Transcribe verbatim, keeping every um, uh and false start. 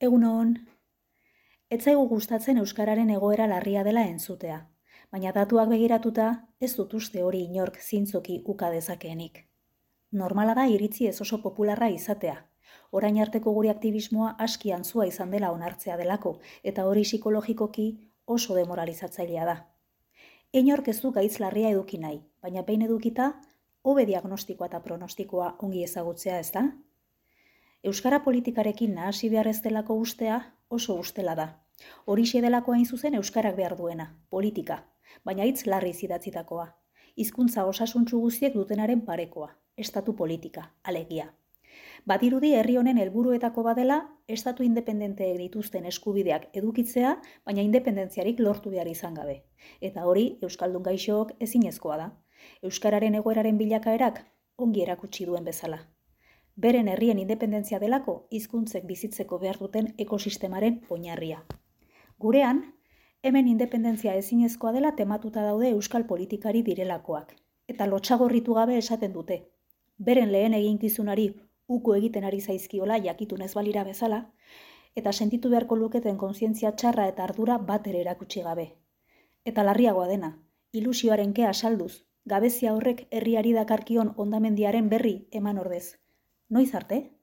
Egunon, ez zaigu gustatzen euskararen egoera larria dela entzutea, baina datuak begiratuta ez dut uste hori inork zintzoki uka dezakeenik. Normala da iritzi ez oso popularra izatea. Orain arteko gure aktivismoa aski antzua izan dela onartzea delako, eta hori psikologikoki oso demoralizatzailea da. Inork ez du gaitz larria eduki nahi, baina behin edukita, hobe diagnostikoa eta pronostikoa ongi ezagutzea ez da? Euskara politikarekin nahasi behar ez delako ustea oso ustela da. Horixe delako hain zuzen euskarak behar duena, politika, baina hitz larri idatzitakoa. Hizkuntza osasuntsu guztiek dutenaren parekoa, estatu politika, alegia. Badirudi herri honen helburuetako badela, estatu independenteek dituzten eskubideak edukitzea, baina independentziarik lortu behar izan gabe. Eta hori euskaldun gaixook ezinezkoa da. Euskararen egoeraren bilakaerak ongi erakutsi duen bezala. Beren herrien independentzia delako hizkuntzek bizitzeko behar duten ekosistemaren oinarria. Gurean, hemen independentzia ezinezkoa dela tematuta daude euskal politikari direlakoak, eta lotxagorritu gabe esaten dute. Beren lehen eginkizunari uko egiten ari zaizkiola jakitunez balira bezala, eta sentitu beharko luketen kontzientzia txarra eta ardura bat ere erakutsi gabe. Eta larriagoa dena, ilusioaren kea salduz, gabezia horrek herriari dakarkion hondamendiaren berri eman ordez. Noiz arte?